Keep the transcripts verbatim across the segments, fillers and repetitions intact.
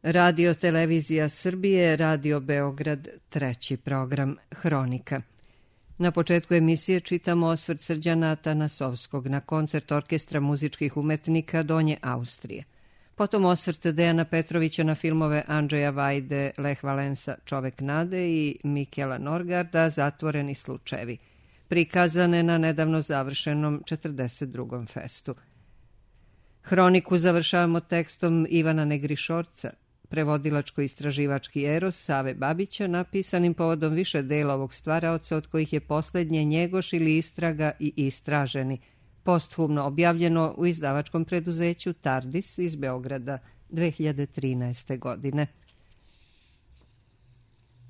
Radio Televizija Srbije, Radio Beograd, treći program Hronika. Na početku emisije čitamo osvrt Srđana Atanasovskog na koncert Orkestra muzičkih umetnika Donje Austrije. Potom osvrt Dejana Petrovića na filmove Andžeja Vajde, Leh Valensa, Čovek nade i Mikela Norgarda, Zatvoreni slučajevi, prikazane na nedavno završenom četrdeset drugom festu. Hroniku završavamo tekstom Ivana Negrišorca, prevodilačko-istraživački eros Save Babića, napisanim povodom više dela ovog stvaraoca, od kojih je posljednje Njegoš ili Istraga i Istraženi, posthumno objavljeno u izdavačkom preduzeću Tardis iz Beograda dve hiljade trinaeste. godine.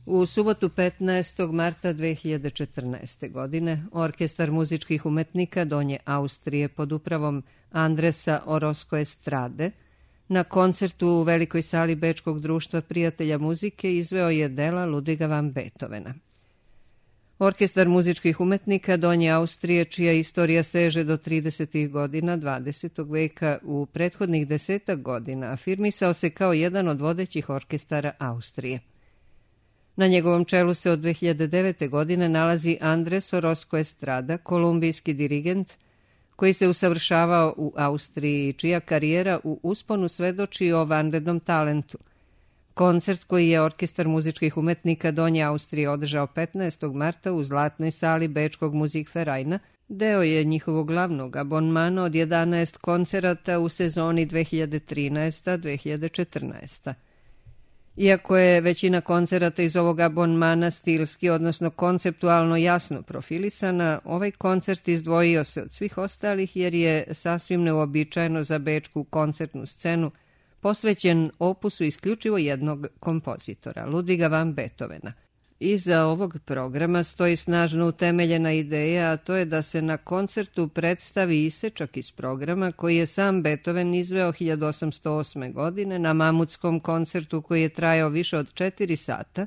U subotu petnaestog marta dve hiljade četrnaeste. godine Orkestar muzičkih umetnika Donje Austrije pod upravom Andresa Orozco Estrade na koncertu u velikoj sali Bečkog društva prijatelja muzike izveo je dela Ludviga van Beethovena. Orkestar muzičkih umetnika Donje Austrije, čija istorija seže do tridesetih godina dvadesetog veka, u prethodnih desetak godina afirmisao se kao jedan od vodećih orkestara Austrije. Na njegovom čelu se od dve hiljade devete. godine nalazi Andres Orozco Estrada, kolumbijski dirigent, koji se usavršavao u Austriji, čija karijera u usponu svedoči o vanrednom talentu. Koncert koji je Orkestar muzičkih umetnika Donje Austrije održao petnaestog marta u zlatnoj sali Bečkog Musikvereina deo je njihovog glavnog abonmana od jedanaest koncerata u sezoni dve hiljade trinaeste. dve hiljade četrnaeste. Iako je većina koncerata iz ovog abonmana stilski, odnosno konceptualno jasno profilisana, ovaj koncert izdvojio se od svih ostalih jer je sasvim neuobičajeno za bečku koncertnu scenu posvećen opusu isključivo jednog kompozitora, Ludviga van Beethovena. Iza ovog programa stoji snažno utemeljena ideja, a to je da se na koncertu predstavi isečak iz programa koji je sam Beethoven izveo hiljadu osamsto osme. godine na mamutskom koncertu koji je trajao više od četiri sata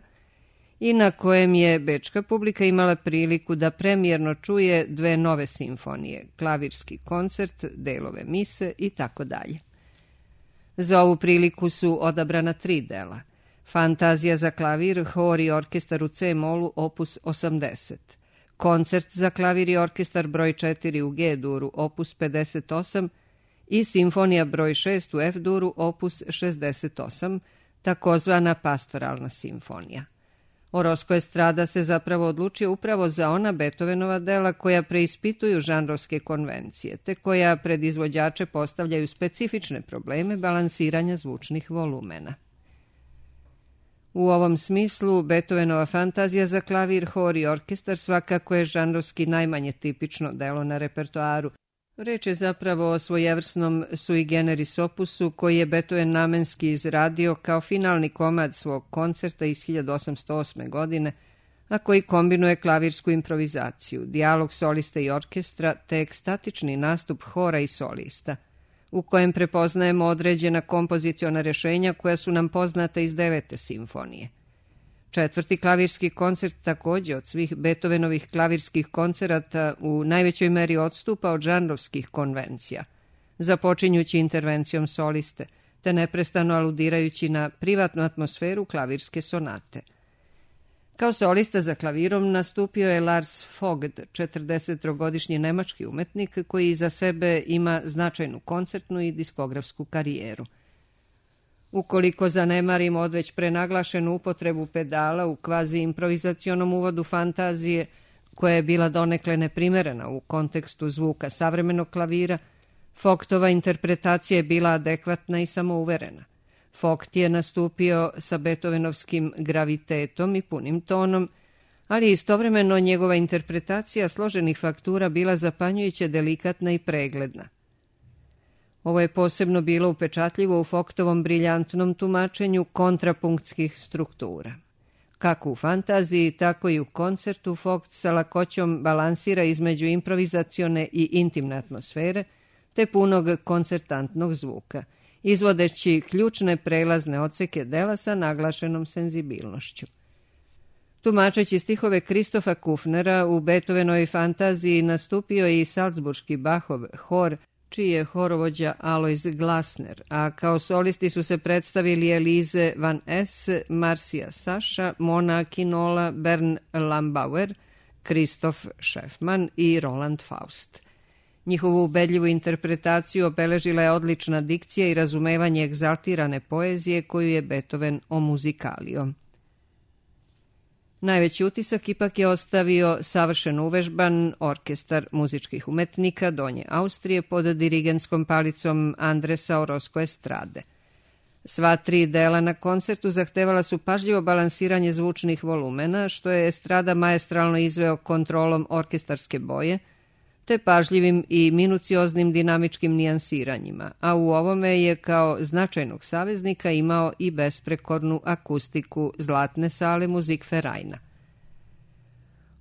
i na kojem je bečka publika imala priliku da premijerno čuje dve nove simfonije, klavirski koncert, delove mise i tako dalje. Za ovu priliku su odabrana tri dela: Fantazija za klavir, hor i orkestar u C-molu, opus osamdeset, Koncert za klavir i orkestar broj četiri u G-duru, opus pedeset osam i Simfonija broj šest u F-duru, opus šezdeset osam, takozvana pastoralna simfonija. Orozco Estrada se zapravo odlučio upravo za ona Beethovenova dela koja preispituju žanrovske konvencije, te koja pred izvođače postavljaju specifične probleme balansiranja zvučnih volumena. U ovom smislu, Beethovenova fantazija za klavir, hor i orkestar svakako je žanrovski najmanje tipično delo na repertoaru. Reč je zapravo o svojevrsnom sui generis opusu koji je Beethoven namenski izradio kao finalni komad svog koncerta iz hiljadu osamsto osme. godine, a koji kombinuje klavirsku improvizaciju, dijalog soliste i orkestra te ekstatični nastup hora i solista, u kojem prepoznajemo određena kompoziciona rješenja koja su nam poznata iz devete simfonije. Četvrti klavirski koncert također od svih Beethovenovih klavirskih koncerata u najvećoj meri odstupa od žanrovskih konvencija, započinjući intervencijom soliste, te neprestano aludirajući na privatnu atmosferu klavirske sonate. Kao solista za klavirom nastupio je Lars Vogt, četrdesettrogodišnji nemački umetnik koji iza sebe ima značajnu koncertnu i diskografsku karijeru. Ukoliko zanemarimo odveć prenaglašenu upotrebu pedala u kvazi improvizacionom uvodu fantazije, koja je bila donekle neprimerena u kontekstu zvuka savremenog klavira, Vogtova interpretacija je bila adekvatna i samouverena. Vogt je nastupio sa beethovenovskim gravitetom i punim tonom, ali istovremeno njegova interpretacija složenih faktura bila zapanjujuće delikatna i pregledna. Ovo je posebno bilo upečatljivo u Vogtovom briljantnom tumačenju kontrapunktskih struktura. Kako u fantaziji, tako i u koncertu Vogt sa lakoćom balansira između improvizacione i intimne atmosfere, te punog koncertantnog zvuka, izvodeći ključne prelazne odseke dela sa naglašenom senzibilnošću. Tumačeći stihove Kristofa Kufnera u Beethovenovoj fantaziji nastupio je i salzburški Bachov hor čiji je horovođa Alois Glasner, a kao solisti su se predstavili Elize Van Es, Marcia Saša, Mona Kinola, Bern Lambauer, Kristof Šefman i Roland Faust. Njihovu ubedljivu interpretaciju obeležila je odlična dikcija i razumevanje egzaltirane poezije koju je Beethoven omuzikalio. Najveći utisak ipak je ostavio savršeno uvežban orkestar muzičkih umetnika Donje Austrije pod dirigentskom palicom Andresa Orozco Estrade. Sva tri dela na koncertu zahtevala su pažljivo balansiranje zvučnih volumena, što je Estrada maestralno izveo kontrolom orkestarske boje, te pažljivim i minucioznim dinamičkim nijansiranjima, a u ovome je kao značajnog saveznika imao i besprekornu akustiku Zlatne sale Musikvereina.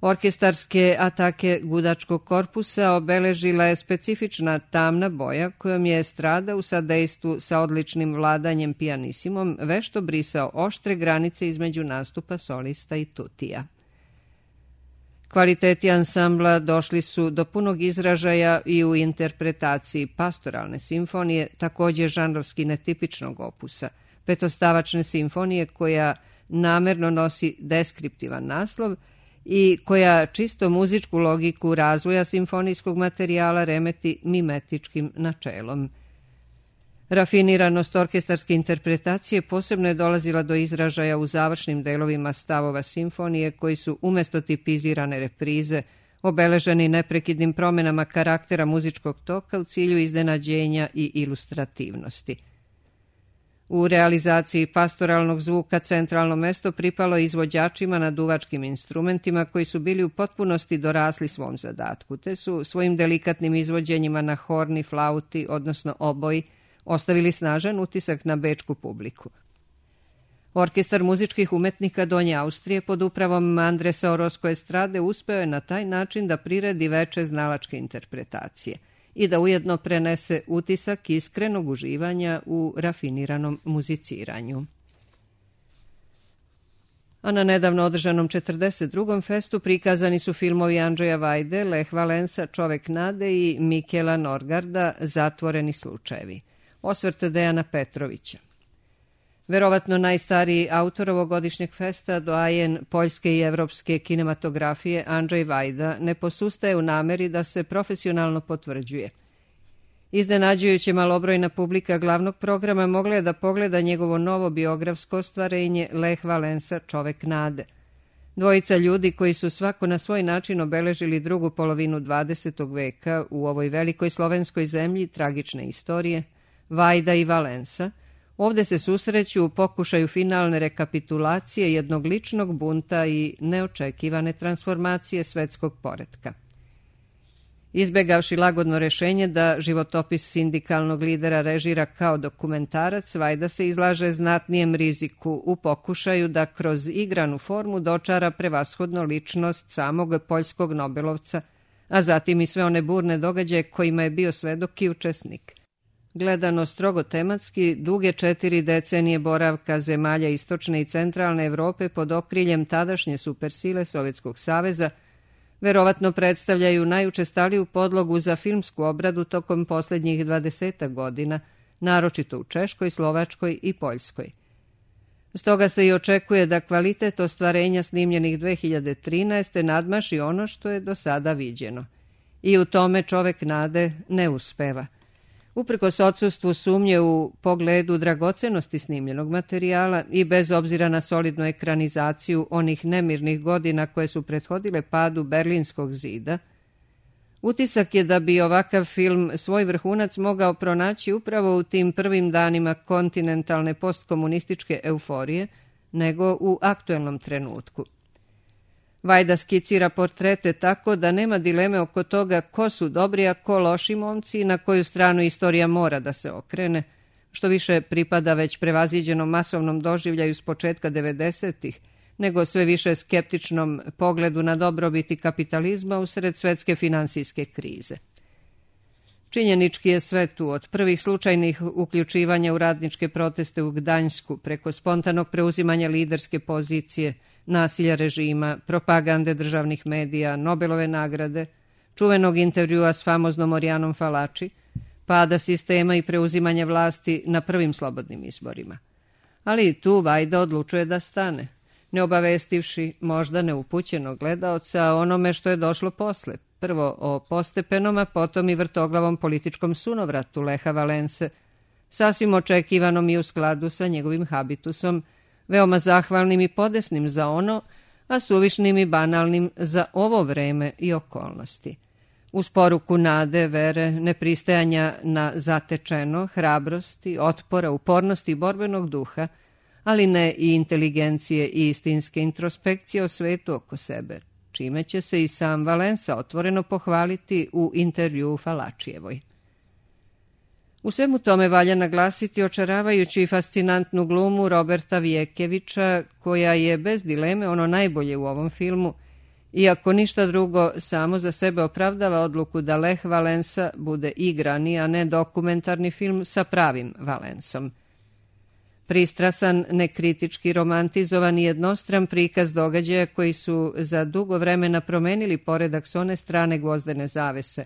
Orkestarske atake gudačkog korpusa obeležila je specifična tamna boja kojom je Estrada u sadejstvu sa odličnim vladanjem pijanisimom vešto brisao oštre granice između nastupa solista i tutija. Kvaliteti ansambla došli su do punog izražaja i u interpretaciji pastoralne simfonije, također žanrovski netipičnog opusa, petostavačne simfonije koja namerno nosi deskriptivan naslov i koja čisto muzičku logiku razvoja simfonijskog materijala remeti mimetičkim načelom. Rafiniranost orkestarske interpretacije posebno je dolazila do izražaja u završnim delovima stavova simfonije koji su umjesto tipizirane reprize obeleženi neprekidnim promjenama karaktera muzičkog toka u cilju iznenađenja i ilustrativnosti. U realizaciji pastoralnog zvuka centralno mesto pripalo izvođačima na duvačkim instrumentima koji su bili u potpunosti dorasli svom zadatku, te su svojim delikatnim izvođenjima na horni, flauti, odnosno oboji, ostavili snažan utisak na bečku publiku. Orkestar muzičkih umetnika Donje Austrije pod upravom Andresa Orozco Estrade uspeo je na taj način da priredi veče znalačke interpretacije i da ujedno prenese utisak iskrenog uživanja u rafiniranom muziciranju. A na nedavno održanom četrdeset drugom festu prikazani su filmovi Andreja Vajde, Lech Valensa, Čovek nade i Mikela Norgarda, Zatvoreni slučajevi. Osvrt Dejana Petrovića. Verovatno najstariji autor ovogodišnjeg festa, doajen poljske i evropske kinematografije Andrzej Vajda, ne posustaje u nameri da se profesionalno potvrđuje. Iznenađujuće malobrojna publika glavnog programa mogla je da pogleda njegovo novo biografsko ostvarenje Lech Valensa, Čovek nade. Dvojica ljudi koji su svako na svoj način obeležili drugu polovinu dvadesetog veka u ovoj velikoj slovenskoj zemlji tragične istorije, Vajda i Valensa, ovde se susreću u pokušaju finalne rekapitulacije jednog ličnog bunta i neočekivane transformacije svetskog poretka. Izbegavši lagodno rešenje da životopis sindikalnog lidera režira kao dokumentarac, Vajda se izlaže znatnijem riziku u pokušaju da kroz igranu formu dočara prevashodno ličnost samog poljskog nobelovca, a zatim i sve one burne događaje kojima je bio svedok i učesnik. Gledano strogo tematski, duge četiri decenije boravka zemalja istočne i centralne Evrope pod okriljem tadašnje supersile Sovjetskog saveza verovatno predstavljaju najučestaliju podlogu za filmsku obradu tokom posljednjih dvadesetak godina, naročito u Češkoj, Slovačkoj i Poljskoj. Stoga se i očekuje da kvalitet ostvarenja snimljenih dve hiljade trinaeste. nadmaši ono što je do sada viđeno. I u tome Čovek nade ne uspeva. Uprkos odsustvu sumnje u pogledu dragocenosti snimljenog materijala i bez obzira na solidnu ekranizaciju onih nemirnih godina koje su prethodile padu Berlinskog zida, utisak je da bi ovakav film svoj vrhunac mogao pronaći upravo u tim prvim danima kontinentalne postkomunističke euforije, nego u aktuelnom trenutku. Vajda skicira portrete tako da nema dileme oko toga ko su dobri, a ko loši momci i na koju stranu istorija mora da se okrene, što više pripada već prevaziđenom masovnom doživljaju s početka devedesetih, nego sve više skeptičnom pogledu na dobrobiti kapitalizma usred svetske finansijske krize. Činjenički je sve tu, od prvih slučajnih uključivanja u radničke proteste u Gdanjsku, preko spontanog preuzimanja liderske pozicije, nasilja režima, propagande državnih medija, Nobelove nagrade, čuvenog intervjua s famoznom Orijanom Falači, pada sistema i preuzimanja vlasti na prvim slobodnim izborima. Ali i tu Vajda odlučuje da stane, ne obavestivši možda neupućenog gledaoca o onome što je došlo posle, prvo o postepenom, a potom i vrtoglavom političkom sunovratu Leha Valense, sasvim očekivanom i u skladu sa njegovim habitusom, veoma zahvalnim i podesnim za ono, a suvišnim i banalnim za ovo vreme i okolnosti. Uz poruku nade, vere, nepristajanja na zatečeno, hrabrosti, otpora, upornosti i borbenog duha, ali ne i inteligencije i istinske introspekcije o svetu oko sebe, čime će se i sam Valensa otvoreno pohvaliti u intervjuu Falačijevoj. U svemu tome valja naglasiti očaravajuću i fascinantnu glumu Roberta Vjekevića, koja je bez dileme ono najbolje u ovom filmu, iako ništa drugo samo za sebe opravdava odluku da Leh Valensa bude igrani, a ne dokumentarni film sa pravim Valensom. Pristrasan, nekritički romantizovan i jednostran prikaz događaja koji su za dugo vremena promenili poredak s one strane gvozdene zavese,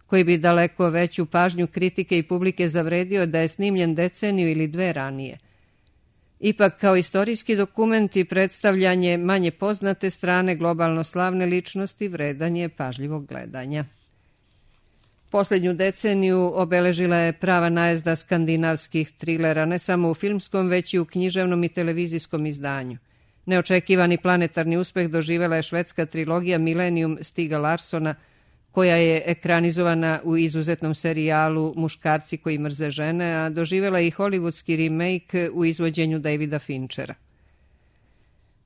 koji bi daleko veću pažnju kritike i publike zavredio da je snimljen deceniju ili dve ranije. Ipak, kao istorijski dokument i predstavljanje manje poznate strane globalno slavne ličnosti vredan je pažljivog gledanja. Posljednju deceniju obeležila je prava najezda skandinavskih trilera, ne samo u filmskom, već i u književnom i televizijskom izdanju. Neočekivani planetarni uspeh doživela je švedska trilogija Millennium Stiga Larssona, koja je ekranizovana u izuzetnom serijalu Muškarci koji mrze žene, a doživela i hollywoodski remake u izvođenju Davida Finchera.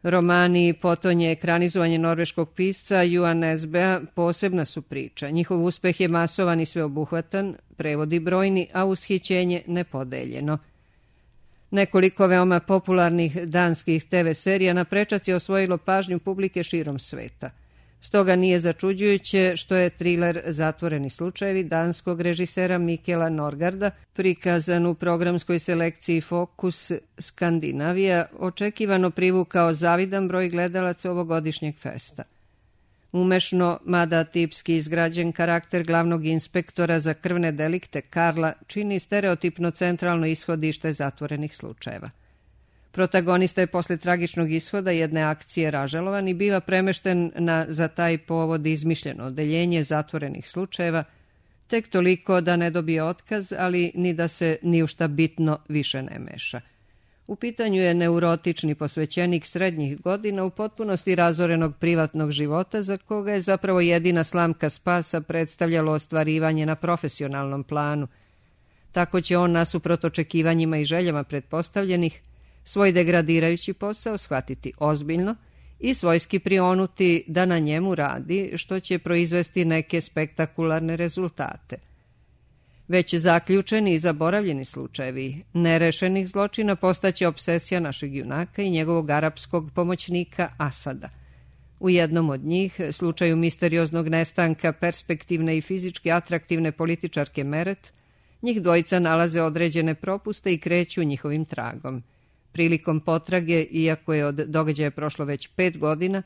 Romani potonje ekranizovanje norveškog pisca Johan Nesbøa posebna su priča. Njihov uspeh je masovan i sveobuhvatan, prevodi brojni, a ushićenje nepodeljeno. Nekoliko veoma popularnih danskih te ve serija na prečac je osvojilo pažnju publike širom sveta. Stoga nije začuđujuće što je triler Zatvoreni slučajevi danskog režisera Mikela Norgarda, prikazan u programskoj selekciji Fokus Skandinavija, očekivano privukao zavidan broj gledalaca ovogodišnjeg festa. Umešno, mada tipski izgrađen karakter glavnog inspektora za krvne delikte Karla čini stereotipno centralno ishodište Zatvorenih slučajeva. Protagonista je posle tragičnog ishoda jedne akcije ražalovan i biva premešten na za taj povod izmišljeno odeljenje Zatvorenih slučajeva, tek toliko da ne dobije otkaz, ali ni da se ni u šta bitno više ne meša. U pitanju je neurotični posvećenik srednjih godina u potpunosti razorenog privatnog života, za koga je zapravo jedina slamka spasa predstavljalo ostvarivanje na profesionalnom planu. Tako će on, nasuprot očekivanjima i željama pretpostavljenih, svoj degradirajući posao shvatiti ozbiljno i svojski prionuti da na njemu radi, što će proizvesti neke spektakularne rezultate. Već zaključeni i zaboravljeni slučajevi nerešenih zločina postaće obsesija našeg junaka i njegovog arapskog pomoćnika Asada. U jednom od njih, slučaju misterioznog nestanka perspektivne i fizički atraktivne političarke Meret, njih dvojica nalaze određene propuste i kreću njihovim tragom. Prilikom potrage, iako je od događaja prošlo već pet godina,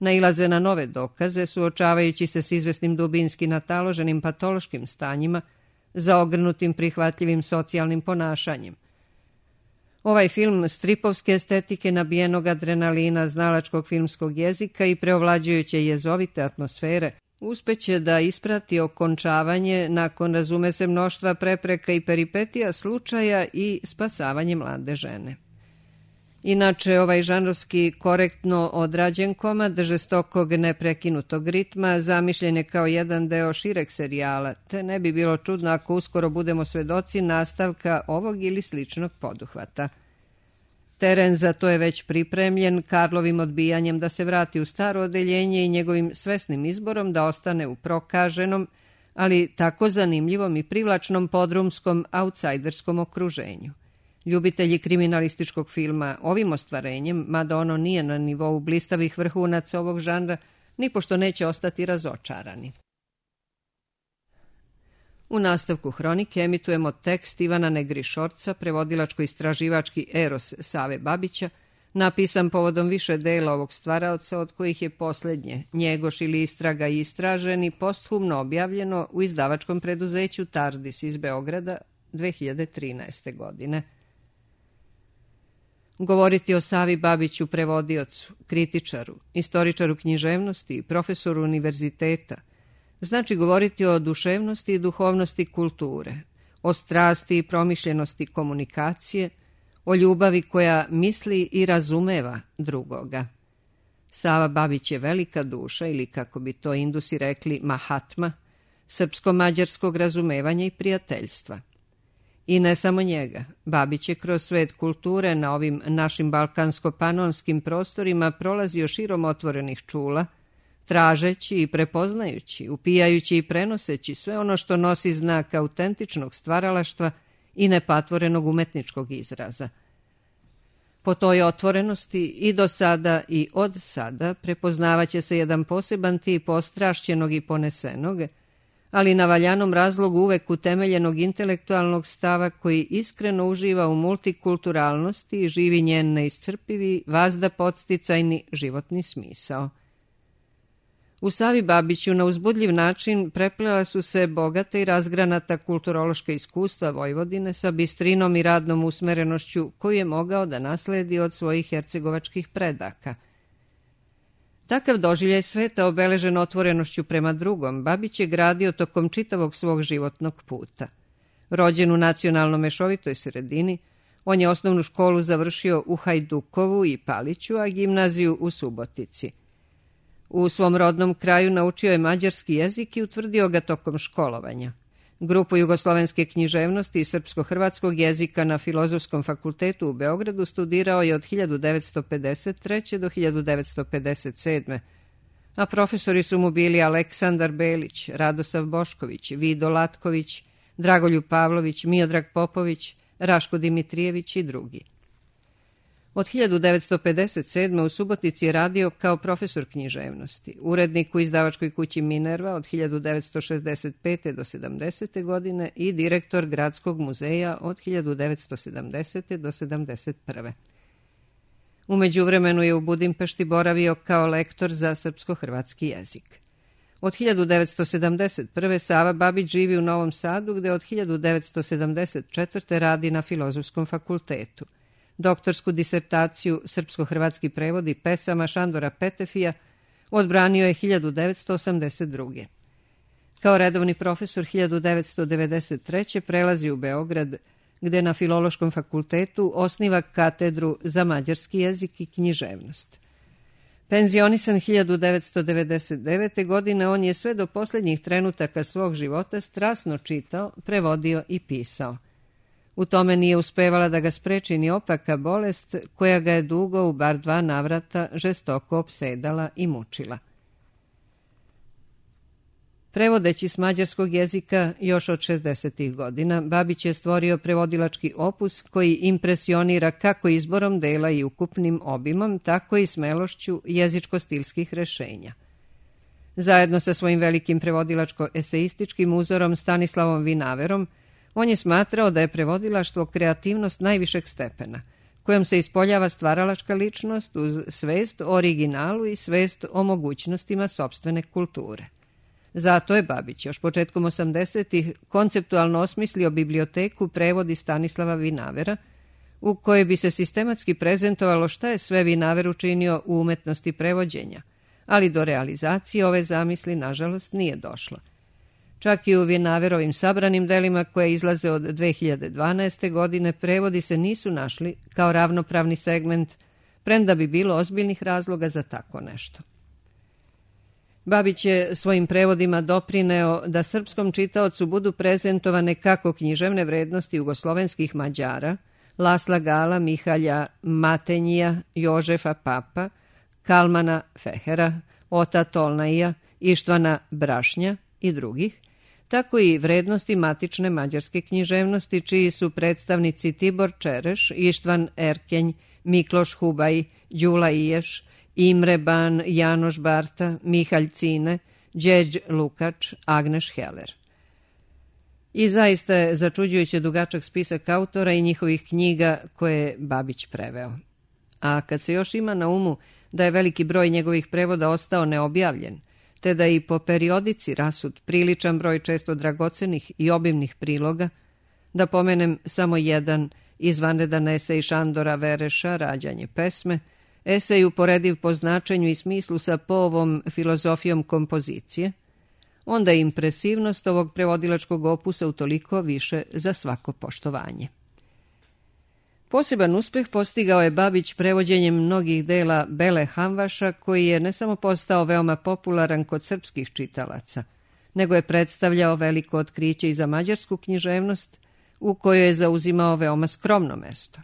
nailaze na nove dokaze, suočavajući se s izvesnim dubinski nataloženim patološkim stanjima, zaogrnutim prihvatljivim socijalnim ponašanjem. Ovaj film stripovske estetike, nabijenog adrenalina, znalačkog filmskog jezika i preovlađujuće jezovite atmosfere uspeće da isprati okončavanje nakon, razume se, mnoštva prepreka i peripetija slučaja i spasavanje mlade žene. Inače, ovaj žanrovski korektno odrađen komad žestokog neprekinutog ritma zamišljen je kao jedan deo šireg serijala, te ne bi bilo čudno ako uskoro budemo svedoci nastavka ovog ili sličnog poduhvata. Teren za to je već pripremljen Karlovim odbijanjem da se vrati u staro odeljenje i njegovim svesnim izborom da ostane u prokaženom, ali tako zanimljivom i privlačnom podrumskom outsiderskom okruženju. Ljubitelji kriminalističkog filma ovim ostvarenjem, mada ono nije na nivou blistavih vrhunaca ovog žanra, nipošto neće ostati razočarani. U nastavku hronike emitujemo tekst Ivana Negrišorca, prevodilačko-istraživački eros Save Babića, napisan povodom više dela ovog stvaraoca, od kojih je posljednje, Njegoš ili Istraga i istraženi, posthumno objavljeno u izdavačkom preduzeću Tardis iz Beograda dve hiljade trinaeste. godine. Govoriti o Savi Babiću, prevodiocu, kritičaru, istoričaru književnosti i profesoru univerziteta, znači govoriti o duševnosti i duhovnosti kulture, o strasti i promišljenosti komunikacije, o ljubavi koja misli i razumeva drugoga. Sava Babić je velika duša, ili kako bi to Indusi rekli Mahatma, srpsko-mađarskog razumevanja i prijateljstva. I ne samo njega, Babić je kroz svet kulture na ovim našim balkansko-panonskim prostorima prolazio širom otvorenih čula, tražeći i prepoznajući, upijajući i prenoseći sve ono što nosi znak autentičnog stvaralaštva i nepatvorenog umetničkog izraza. Po toj otvorenosti i do sada i od sada prepoznavaće se jedan poseban tip ostrašćenog i ponesenog, ali na valjanom razlogu uvek utemeljenog intelektualnog stava koji iskreno uživa u multikulturalnosti i živi njen neiscrpivi, vazda podsticajni životni smisao. U Savi Babiću na uzbudljiv način preplela su se bogata i razgranata kulturološka iskustva Vojvodine sa bistrinom i radnom usmerenošću koju je mogao da nasledi od svojih hercegovačkih predaka. Takav doživljaj sveta obeležen otvorenošću prema drugom, Babić je gradio tokom čitavog svog životnog puta. Rođen u nacionalno mešovitoj sredini, on je osnovnu školu završio u Hajdukovu i Paliću, a gimnaziju u Subotici. U svom rodnom kraju naučio je mađarski jezik i utvrdio ga tokom školovanja. Grupu jugoslovenske književnosti i srpsko-hrvatskog jezika na Filozofskom fakultetu u Beogradu studirao je od hiljadu devetsto pedeset treće. do hiljadu devetsto pedeset sedme. a profesori su mu bili Aleksandar Belić, Radosav Bošković, Vido Latković, Dragoljub Pavlović, Miodrag Popović, Raško Dimitrijević i drugi. Od hiljadu devetsto pedeset sedme. u Subotici je radio kao profesor književnosti, urednik u izdavačkoj kući Minerva od hiljadu devetsto šezdeset pete. do sedamdesete. godine i direktor Gradskog muzeja od hiljadu devetsto sedamdesete. do sedamdeset prve. U međuvremenu je u Budimpešti boravio kao lektor za srpsko-hrvatski jezik. Od hiljadu devetsto sedamdeset prve. Sava Babić živi u Novom Sadu, gde od hiljadu devetsto sedamdeset četvrte. radi na Filozofskom fakultetu. Doktorsku disertaciju Srpsko-hrvatski prevodi pesama Šandora Petefija odbranio je hiljadu devetsto osamdeset druge. Kao redovni profesor hiljadu devetsto devedeset treće. prelazi u Beograd, gde na Filološkom fakultetu osniva katedru za mađarski jezik i književnost. Penzionisan hiljadu devetsto devedeset devete. godine, on je sve do posljednjih trenutaka svog života strasno čitao, prevodio i pisao. U tome nije uspevala da ga spreči ni opaka bolest koja ga je dugo u bar dva navrata žestoko opsedala i mučila. Prevodeći s mađarskog jezika još od šezdesetih godina, Babić je stvorio prevodilački opus koji impresionira kako izborom dela i ukupnim obimom, tako i smelošću jezičko-stilskih rešenja. Zajedno sa svojim velikim prevodilačko-eseističkim uzorom Stanislavom Vinaverom, on je smatrao da je prevodilaštvo kreativnost najvišeg stepena, kojom se ispoljava stvaralačka ličnost uz svest o originalu i svest o mogućnostima sopstvene kulture. Zato je Babić još početkom osamdesetih konceptualno osmislio biblioteku prevodi Stanislava Vinavera, u kojoj bi se sistematski prezentovalo šta je sve Vinaver učinio u umetnosti prevođenja, ali do realizacije ove zamisli, nažalost, nije došlo. Čak i u Vinaverovim sabranim delima koje izlaze od dve hiljade dvanaeste. godine prevodi se nisu našli kao ravnopravni segment, premda bi bilo ozbiljnih razloga za tako nešto. Babić je svojim prevodima doprineo da srpskom čitaocu budu prezentovane kako književne vrednosti jugoslovenskih Mađara, Lasla Gala, Mihalja Matenjija, Jožefa Papa, Kalmana Fehera, Ota Tolnaija, Ištvana Brašnja i drugih, tako i vrednosti matične mađarske književnosti, čiji su predstavnici Tibor Čereš, Ištvan Erkenj, Mikloš Hubaj, Đula Iješ, Imre Ban, Janoš Barta, Mihalj Cine, Đeđ Lukač, Agneš Heller. I zaista je začuđujuće dugačak spisak autora i njihovih knjiga koje je Babić preveo. a kad se još ima na umu da je veliki broj njegovih prevoda ostao neobjavljen, te da i po periodici rasut priličan broj često dragocenih i obimnih priloga, da pomenem samo jedan izvanredan esej Šandora Vereša, Rađanje pesme, esej uporediv po značenju i smislu sa Poovom filozofijom kompozicije, onda je impresivnost ovog prevodilačkog opusa utoliko više za svako poštovanje. Poseban uspeh postigao je Babić prevođenjem mnogih dela Bele Hamvaša, koji je ne samo postao veoma popularan kod srpskih čitalaca, nego je predstavljao veliko otkriće i za mađarsku književnost, u kojoj je zauzimao veoma skromno mesto.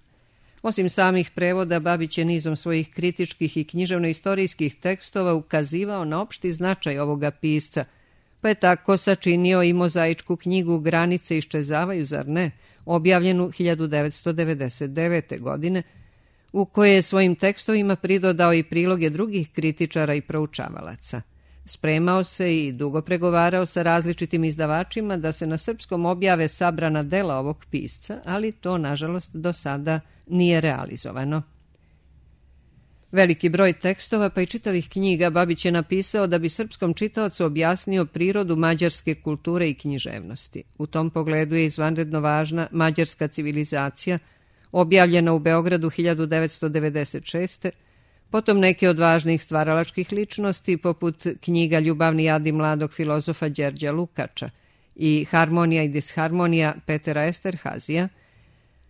Osim samih prevoda, Babić je nizom svojih kritičkih i književno-istorijskih tekstova ukazivao na opšti značaj ovoga pisca, pa je tako sačinio i mozaičku knjigu Granice iščezavaju, zar ne, objavljenu hiljadu devetsto devedeset devete. godine, u kojoj je svojim tekstovima pridodao i priloge drugih kritičara i proučavalaca. Spremao se i dugo pregovarao sa različitim izdavačima da se na srpskom objave sabrana dela ovog pisca, ali to, nažalost, do sada nije realizovano. Veliki broj tekstova, pa i čitavih knjiga, Babić je napisao da bi srpskom čitaocu objasnio prirodu mađarske kulture i književnosti. U tom pogledu je izvanredno važna Mađarska civilizacija, objavljena u Beogradu hiljadu devetsto devedeset šeste. Potom neke od važnih stvaralačkih ličnosti, poput knjiga Ljubavni adi mladog filozofa Đerđa Lukača i Harmonija i disharmonija Petera Esterhazija,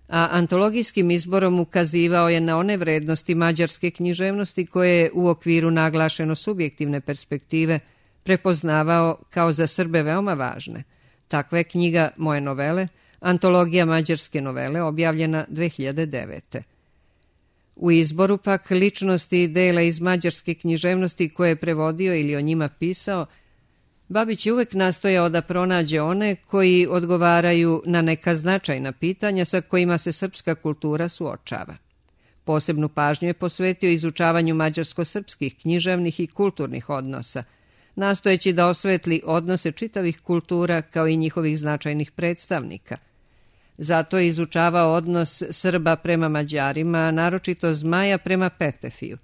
a antologijskim izborom ukazivao je na one vrednosti mađarske književnosti koje je u okviru naglašeno subjektivne perspektive prepoznavao kao za Srbe veoma važne. Takva je knjiga Moje novele, antologija mađarske novele, objavljena dve hiljade devete. U izboru pak ličnosti i dela iz mađarske književnosti koje je prevodio ili o njima pisao, Babić je uvek nastojao da pronađe one koji odgovaraju na neka značajna pitanja sa kojima se srpska kultura suočava. Posebnu pažnju je posvetio izučavanju mađarsko-srpskih književnih i kulturnih odnosa, nastojeći da osvetli odnose čitavih kultura kao i njihovih značajnih predstavnika. Zato je izučavao odnos Srba prema Mađarima, naročito Zmaja prema Petefiju.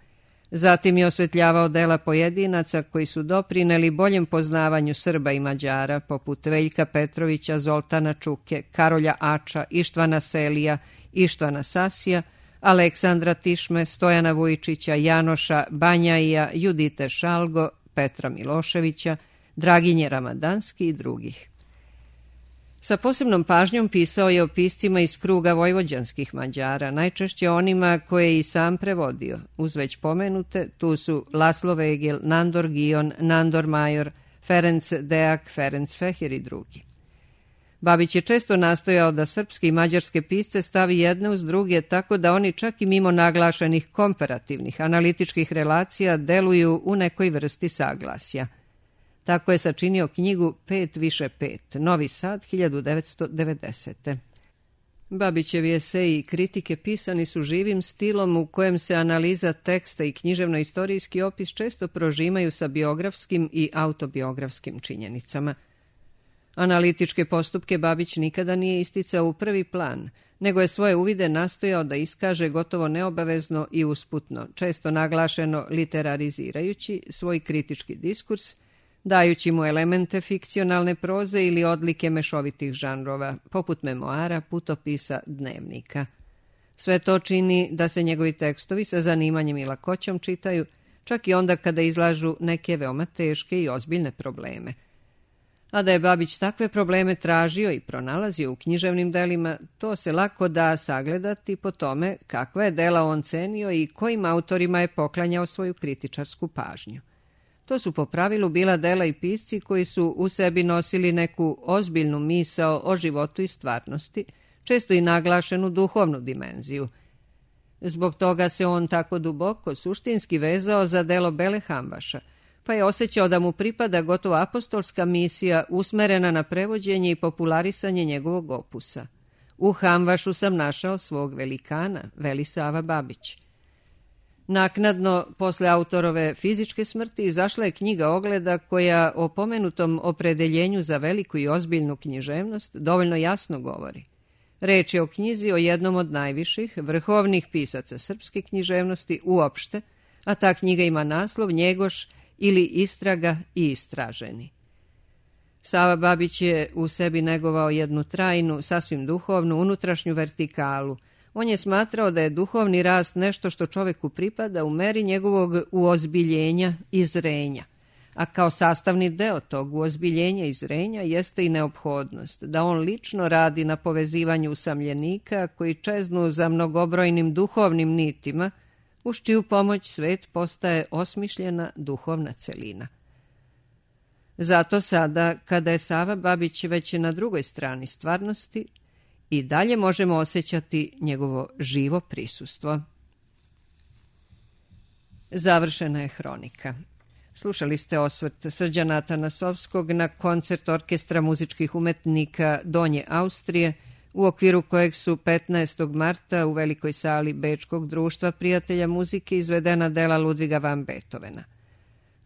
Zatim je osvetljavao dela pojedinaca koji su doprineli boljem poznavanju Srba i Mađara, poput Veljka Petrovića, Zoltana Čuke, Karolja Ača, Ištvana Selija, Ištvana Sasija, Aleksandra Tišme, Stojana Vujčića, Janoša Banjaija, Judite Šalgo, Petra Miloševića, Draginje Ramadanski i drugih. Sa posebnom pažnjom pisao je o piscima iz kruga vojvođanskih Mađara, najčešće onima koje je i sam prevodio. Uz već pomenute, tu su Laslo Vegel, Nandor Gion, Nandor Major, Ferenc Deak, Ferenc Feher i drugi. Babić je često nastojao da srpske i mađarske pisce stavi jedne uz druge, tako da oni čak i mimo naglašenih komparativnih analitičkih relacija deluju u nekoj vrsti saglasja. Tako je sačinio knjigu Pet više pet, Novi Sad, hiljadu devetsto devedesete. Babićevi eseji i kritike pisani su živim stilom u kojem se analiza teksta i književno-istorijski opis često prožimaju sa biografskim i autobiografskim činjenicama. Analitičke postupke Babić nikada nije isticao u prvi plan, nego je svoje uvide nastojao da iskaže gotovo neobavezno i usputno, često naglašeno literarizirajući svoj kritički diskurs, dajući mu elemente fikcionalne proze ili odlike mešovitih žanrova, poput memoara, putopisa, dnevnika. Sve to čini da se njegovi tekstovi sa zanimanjem i lakoćom čitaju, čak i onda kada izlažu neke veoma teške i ozbiljne probleme. A da je Babić takve probleme tražio i pronalazio u književnim delima, to se lako da sagledati po tome kakva je dela on cenio i kojim autorima je poklanjao svoju kritičarsku pažnju. To su po pravilu bila dela i pisci koji su u sebi nosili neku ozbiljnu misao o životu i stvarnosti, često i naglašenu duhovnu dimenziju. Zbog toga se on tako duboko suštinski vezao za delo Bele Hamvaša, pa je osjećao da mu pripada gotovo apostolska misija usmerena na prevođenje i popularisanje njegovog opusa. U Hamvašu sam našao svog velikana, veli Sava Babić. Naknadno, posle autorove fizičke smrti, izašla je knjiga Ogleda koja o pomenutom opredeljenju za veliku i ozbiljnu književnost dovoljno jasno govori. Reč je o knjizi o jednom od najviših, vrhovnih pisaca srpske književnosti uopšte, a ta knjiga ima naslov Njegoš ili Istraga i istraženi. Sava Babić je u sebi negovao jednu trajnu, sasvim duhovnu, unutrašnju vertikalu. On je smatrao da je duhovni rast nešto što čoveku pripada u meri njegovog uozbiljenja i zrenja, a kao sastavni deo tog uozbiljenja i zrenja jeste i neophodnost da on lično radi na povezivanju usamljenika koji čeznu za mnogobrojnim duhovnim nitima, uz čiju pomoć svet postaje osmišljena duhovna celina. Zato sada, kada je Sava Babić već na drugoj strani stvarnosti, i dalje možemo osjećati njegovo živo prisustvo. Završena je hronika. Slušali ste osvrt Srđana Atanasovskog na koncert Orkestra muzičkih umetnika Donje Austrije, u okviru kojeg su petnaestog marta u velikoj sali Bečkog društva prijatelja muzike izvedena dela Ludviga van Beethovena.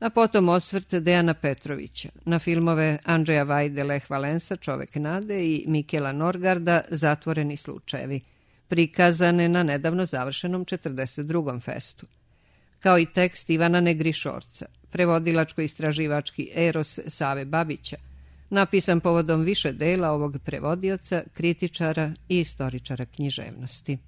A potom osvrt Dejana Petrovića na filmove Andreja Vajde Leh Valensa Čovek nade i Mikela Norgarda Zatvoreni slučajevi, prikazane na nedavno završenom četrdeset drugom festu, kao i tekst Ivana Negrišorca, prevodilačko-istraživački eros Save Babića, napisan povodom više dela ovog prevodioca, kritičara i istoričara književnosti.